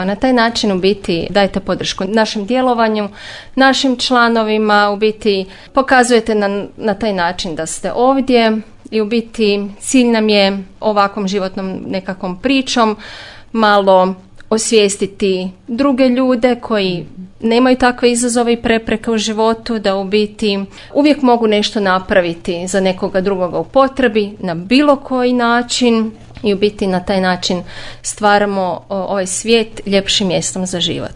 Na taj način u biti dajete podršku našem djelovanju, našim članovima, u biti pokazujete na taj način da ste ovdje i u biti cilj nam je ovakvom životnom nekakvom pričom malo osvijestiti druge ljude koji nemaju takve izazove i prepreke u životu, da u biti uvijek mogu nešto napraviti za nekoga drugoga u potrebi na bilo koji način i u biti na taj način stvaramo ovaj svijet ljepšim mjestom za život.